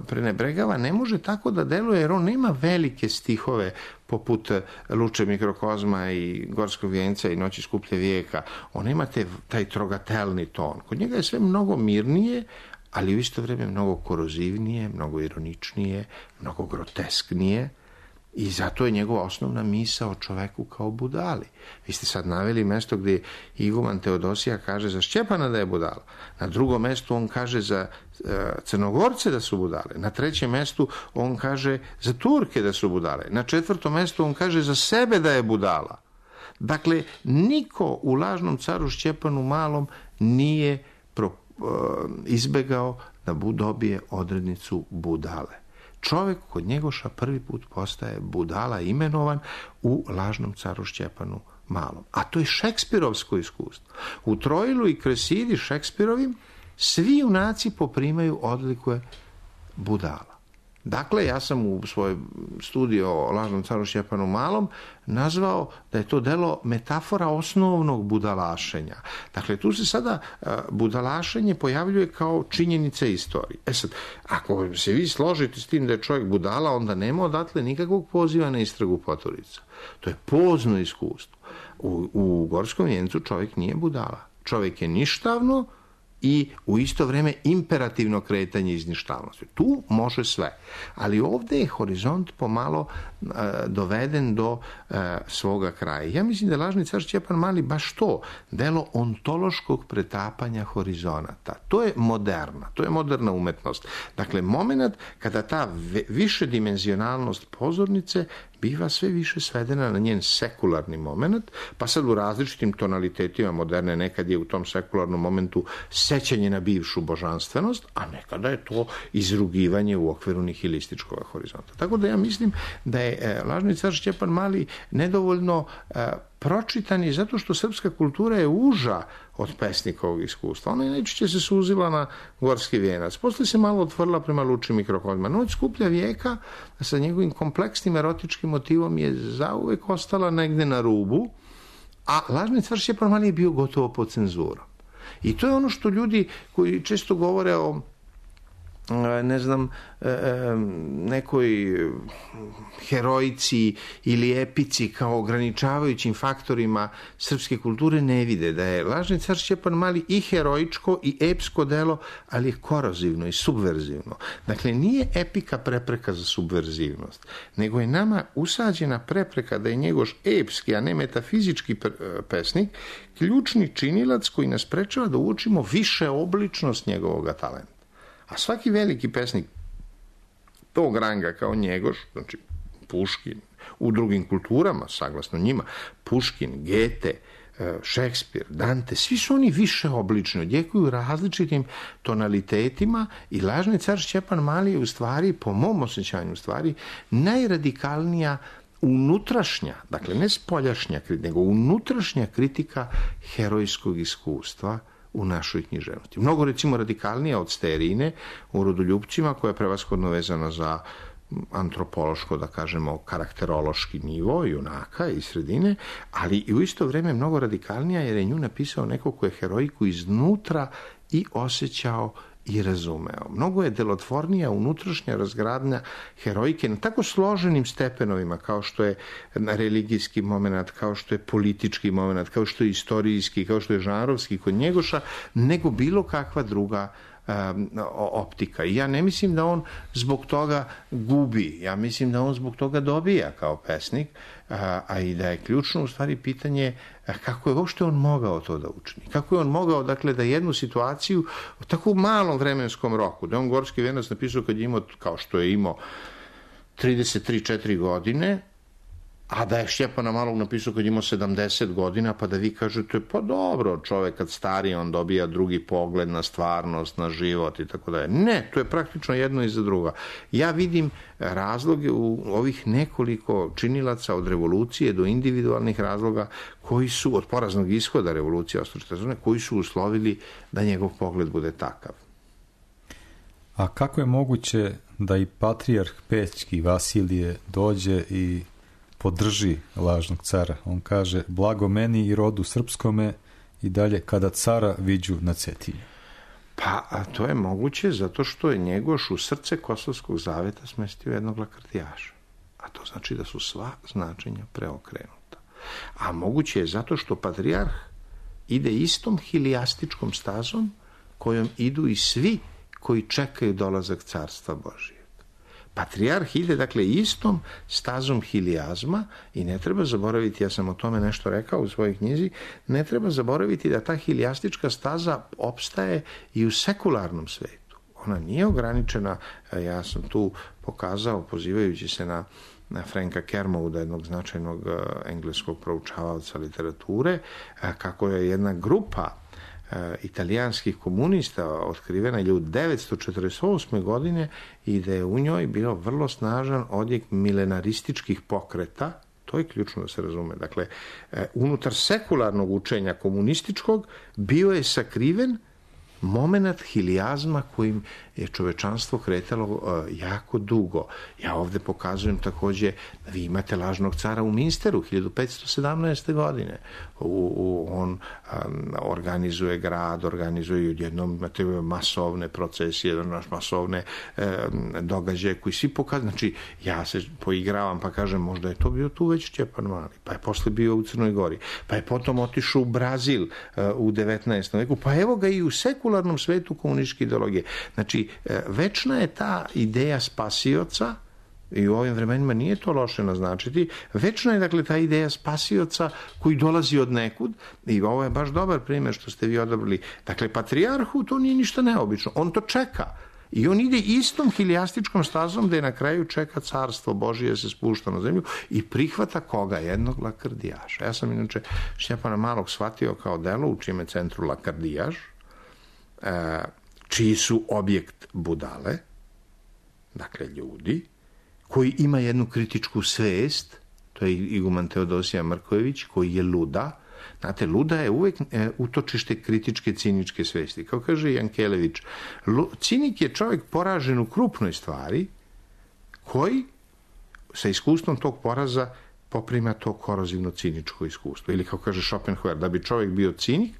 prenebregava, ne može tako da deluje, jer on nema velike stihove poput Luče mikrokozma i Gorskog vijenca i Noći skuplje vijeka. On ima te, taj trogatelni ton. Kod njega je sve mnogo mirnije, ali u isto vrijeme mnogo korozivnije, mnogo ironičnije, mnogo grotesknije, i zato je njegova osnovna misao o čoveku kao budali. Vi ste sad naveli mesto gdje iguman Teodosija kaže za Šćepana da je budala. Na drugom mestu on kaže za uh, Crnogorce da su budale. Na trećem mestu on kaže za Turke da su budale. Na četvrtom mestu on kaže za sebe da je budala. Dakle, niko u lažnom caru Šćepanu Malom nije pro, uh, izbegao da dobije odrednicu budale. Čovjek kod Njegoša prvi put postaje budala imenovan u lažnom caru Šćepanu Malom. A to je šekspirovsko iskustvo. U Troilu i Kresidi Šekspirovim svi junaci poprimaju odlikuje budala. Dakle, ja sam u svojoj studiji o lažnom caru Stjepanu Malom nazvao da je to delo metafora osnovnog budalašenja. Dakle, tu se sada budalašenje pojavljuje kao činjenica istorije. E sad, ako se vi složite s tim da je čovjek budala, onda nema odatle nikakvog poziva na istragu Poturica. To je pozno iskustvo. U, u Gorskom vijencu čovjek nije budala. Čovjek je ništavno i u isto vrijeme imperativno kretanje iz ništavnosti. Tu može sve. Ali ovdje je horizont pomalo uh, doveden do uh, svoga kraja. Ja mislim da lažni car Stjepan Mali baš to, delo ontološkog pretapanja horizonata. To je moderna, to je moderna umetnost. Dakle, moment kada ta višedimenzionalnost pozornice biva sve više svedena na njen sekularni moment, pa sad u različitim tonalitetima moderne nekad je u tom sekularnom momentu sećanje na bivšu božanstvenost, a nekada je to izrugivanje u okviru nihilističkog horizonta. Tako da ja mislim da je e, lažni car Stjepan Mali nedovoljno e, pročitan i zato što srpska kultura je uža od pesnikovog iskustva. Ona je najčešće se suzila na Gorski vijenac. Poslije se malo otvorila prema Lučim i krokodilima. Noć skuplja vijeka sa njegovim kompleksnim erotičkim motivom je zauvek ostala negde na rubu, a lažni car Stjepan Mali je bio gotovo pod cenzurom. I to je ono što ljudi koji često govore o ne znam, nekoj heroici ili epici kao ograničavajućim faktorima srpske kulture ne vide da je lažni car Stjepan Mali i heroičko i epsko delo, ali je korozivno i subverzivno. Dakle, nije epika prepreka za subverzivnost, nego je nama usađena prepreka da je Njegoš epski, a ne metafizički pesnik, ključni činilac koji nas sprečava da uočimo više obličnost njegovog talenta. A svaki veliki pesnik tog ranga kao Njegoš, znači Puškin, u drugim kulturama, saglasno njima, Puškin, Gete, Šekspir, Dante, svi su oni više oblični, odjekuju različitim tonalitetima i lažni car Stjepan Mali je u stvari, po mom osjećanju u stvari, najradikalnija unutrašnja, dakle ne spoljašnja, nego unutrašnja kritika herojskog iskustva u našoj književnosti. Mnogo, recimo, radikalnija od Sterine u Rodoljupcima, koja je prevashodno vezana za antropološko, da kažemo, karakterološki nivo junaka i sredine, ali i u isto vrijeme mnogo radikalnija jer je nju napisao neko ko je heroiku iznutra i osjećao i razumeo. Mnogo je delotvornija unutrašnja razgradnja herojke na tako složenim stepenovima kao što je religijski moment, kao što je politički moment, kao što je istorijski, kao što je žanrovski kod Njegoša, nego bilo kakva druga um, optika. I ja ne mislim da on zbog toga gubi, ja mislim da on zbog toga dobija kao pesnik, a, a i da je ključno u stvari pitanje kako je uopšte on mogao to da učini. Kako je on mogao, dakle, da jednu situaciju u tako malom vremenskom roku, da on Gorski vijenac napisao kad je imao, kao što je imao, trideset tri četiri godine, a da je Stjepana Malog napisao kad je imao sedamdeset godina, pa da vi kažete, pa dobro, čovjek kad stari, on dobija drugi pogled na stvarnost, na život i tako dalje. Ne, to je praktično jedno iza druga. Ja vidim razloge u ovih nekoliko činilaca od revolucije do individualnih razloga koji su, od poraznog ishoda revolucije osamsto koji su uslovili da njegov pogled bude takav. A kako je moguće da i patrijarh Pećki Vasilije dođe i podrži lažnog cara? On kaže, blago meni i rodu srpskome i dalje kada cara viđu na Cetinju. Pa, a to je moguće zato što je Njegoš u srce Kosovskog zaveta smestio jednog lakrtijaša. A to znači da su sva značenja preokrenuta. A moguće je zato što patrijarh ide istom hilijastičkom stazom kojom idu i svi koji čekaju dolazak carstva Božijeg. Patrijarh ide, dakle, istom stazom hilijazma i ne treba zaboraviti, ja sam o tome nešto rekao u svojoj knjizi, ne treba zaboraviti da ta hilijastička staza opstaje i u sekularnom svetu. Ona nije ograničena, ja sam tu pokazao, pozivajući se na, na Franka Kermouda, jednog značajnog uh, engleskog proučavaoca literature, uh, kako je jedna grupa italijanskih komunista otkrivena je u devetsto četrdeset osme godine i da je u njoj bilo vrlo snažan odjek milenarističkih pokreta. To je ključno da se razume. Dakle, unutar sekularnog učenja komunističkog bio je sakriven moment hilijazma kojim je čovečanstvo kretalo uh, jako dugo. Ja ovde pokazujem takođe da vi imate lažnog cara u Minsteru hiljadu petsto sedamnaeste. godine. U, u, on um, organizuje grad, organizuje odjednom imate masovne procesije, masovne um, događaje koji svi pokazuju. Znači, ja se poigravam pa kažem možda je to bio tu već Stjepan Mali, pa je posle bio u Crnoj Gori, pa je potom otišao u Brazil uh, u devetnaestom. veku, pa evo ga i u sekularnom svetu komunističke ideologije. Znači, uh, večna je ta ideja spasioca, i u ovim vremenima nije to loše naznačiti, večna je dakle ta ideja spasioca koji dolazi od nekud, i ovo je baš dobar primjer što ste vi odabrali. Dakle, patrijarhu to nije ništa neobično, on to čeka. I on ide istom hilijastičkom stazom da je na kraju čeka carstvo Božije se spušta na zemlju i prihvata koga? Jednog lakrdijaša. Ja sam inače Stjepana Malog shvatio kao delo u čime centru lakrdijaš, čiji su objekt budale, dakle ljudi, koji ima jednu kritičku svest, to je iguman Teodosija Mrkojević, koji je luda. Znate, luda je uvek e, utočište kritičke, ciničke svesti. Kao kaže Jankelević, cinik je čovjek poražen u krupnoj stvari, koji sa iskustvom tog poraza poprima to korozivno ciničko iskustvo. Ili kao kaže Schopenhauer, da bi čovjek bio cinik,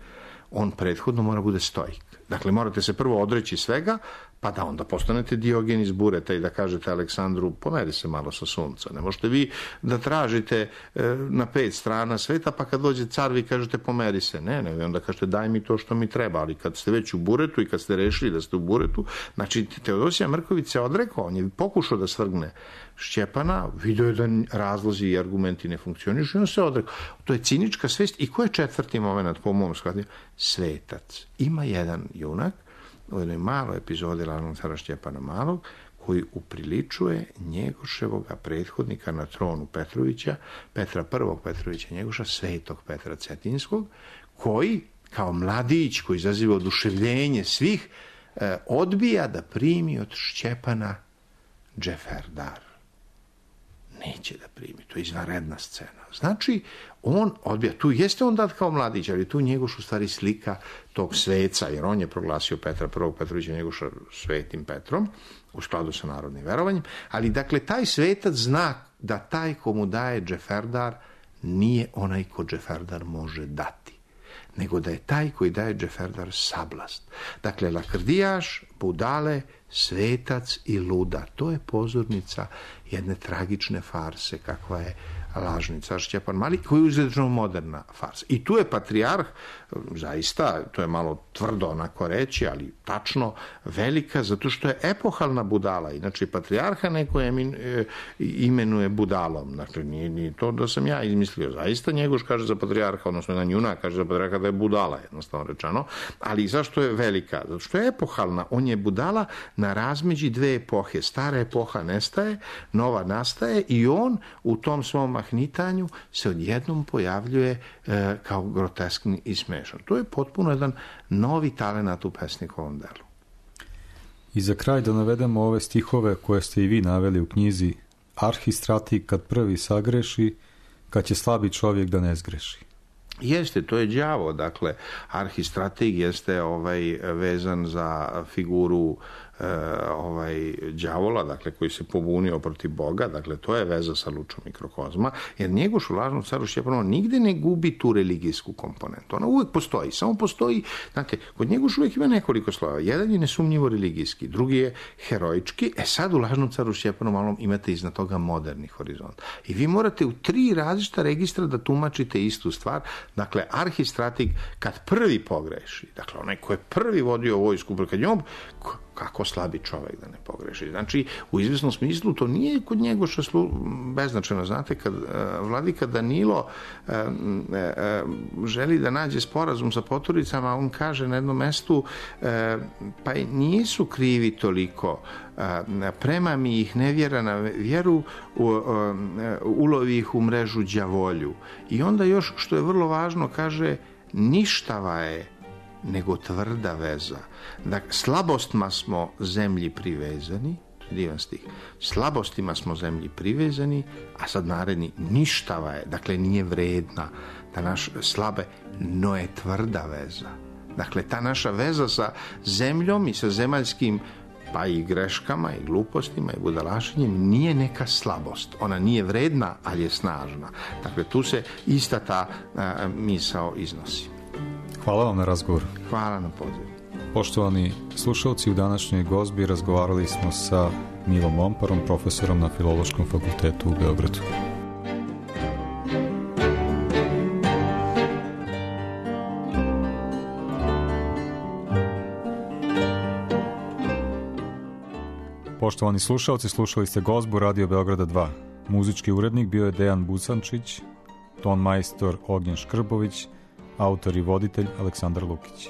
on prethodno mora bude stoik. Dakle, morate se prvo odreći svega, pa da onda postanete Diogen iz Bureta i da kažete Aleksandru, pomeri se malo sa sunca. Ne možete vi da tražite e, na pet strana sveta, pa kad dođe car vi kažete pomeri se. Ne, ne, onda kažete daj mi to što mi treba, ali kad ste već u Buretu i kad ste rešili da ste u Buretu, znači Teodosija Mrković se odrekao, on je pokušao da svrgne Stjepana, vidio je da razlozi i argumenti ne funkcionišu i on se odrekao. To je cinička svest. I ko je četvrti moment po mom shvatanju? Svetac. Ima jedan junak u jednoj maloj epizodi lažnog cara Stjepana Malog koji upriličuje Njegoševoga prethodnika na tronu Petrovića, Petra prvog Petrovića Njegoša, svetog Petra Cetinskog, koji kao mladić koji izaziva oduševljenje svih eh, odbija da primi od Stjepana džeferdar. Neće da primi, to je izvanredna scena. Znači, on odbija, tu jeste on dat kao mladić, ali tu Njegoš u stvari slika tog sveca, jer on je proglasio Petra prvog Petrovića Njegoša svetim Petrom, u skladu sa narodnim verovanjem, ali dakle, taj svetac zna da taj komu daje džeferdar nije onaj ko džeferdar može dati, nego da je taj koji daje džeferdar sablast. Dakle, lakrdijaš, budale, svetac i luda. To je pozornica jedne tragične farse kakva je lažni car Stjepan Mali, koji je uzrečno moderna farsa. I tu je patrijarh, zaista, to je malo tvrdo onako reći, ali tačno velika, zato što je epohalna budala. Inače, patrijarha neko emin, e, imenuje budalom. Dakle, nije, nije to da sam ja izmislio. Zaista Njegoš kaže za patrijarha, odnosno jedan junak kaže za patrijarha da je budala, jednostavno rečeno. Ali zašto je velika? Zato što je epohalna. On je budala na razmeđi dve epohe. Stara epoha nestaje, nova nastaje i on u tom svom mahnitanju se odjednom pojavljuje e, kao groteskni i smešan. To je potpuno jedan novi talenat u pesnikovom delu. I za kraj da navedemo ove stihove koje ste i vi naveli u knjizi: arhistrati kad prvi sagreši, kad će slabi čovjek da ne zgreši. Jeste, to je đavo, dakle, arhistrateg jeste ovaj, vezan za figuru e, ovaj, đavola, dakle, koji se pobunio protiv Boga, dakle, to je veza sa lučom mikrokozma, jer Njegoš u lažnom caru Stjepanu nigde ne gubi tu religijsku komponentu. Ona uvek postoji, samo postoji, dakle, kod Njegoš uvek ima nekoliko slova. Jedan je nesumnjivo religijski, drugi je heroički, e sad u lažnom caru Stjepanu Malom imate iznad toga moderni horizont. I vi morate u tri različita registra da tumačite istu stvar. Dakle, arhistrateg kad prvi pogreši, dakle, onaj ko je prvi vodio vojsku, kad njom, kako slabi čovjek da ne pogreši. Znači, u izvjesnom smislu to nije kod Njegoša slu... beznačajno. Znate, kad uh, vladika Danilo uh, uh, želi da nađe sporazum sa poturicama, on kaže na jednom mestu, uh, pa nisu krivi toliko, uh, prema mi ih nevjera na vjeru, uh, uh, ulovi ih u mrežu đavolju. I onda još, što je vrlo važno, kaže, ništava je nego tvrda veza. Dakle, slabostima smo zemlji privezani, divan stih, slabostima smo zemlji privezani, a sad naredni, ništava je, dakle nije vredna, da naš slabe, no je tvrda veza. Dakle, ta naša veza sa zemljom i sa zemaljskim, pa i greškama i glupostima i budalašenjem nije neka slabost. Ona nije vredna, ali je snažna. Dakle, tu se ista ta a, misao iznosi. Hvala vam na razgovoru. Hvala na pozivu. Poštovani slušalci, u današnjoj gozbi razgovarali smo sa Milom Momparom, profesorom na Filološkom fakultetu u Beogradu. Poštovani slušalci, slušali ste gozbu Radio Beograda dva. Muzički urednik bio je Dejan Busančić, ton majstor Ognjen Škrbović, autor i voditelj Aleksandar Lukić.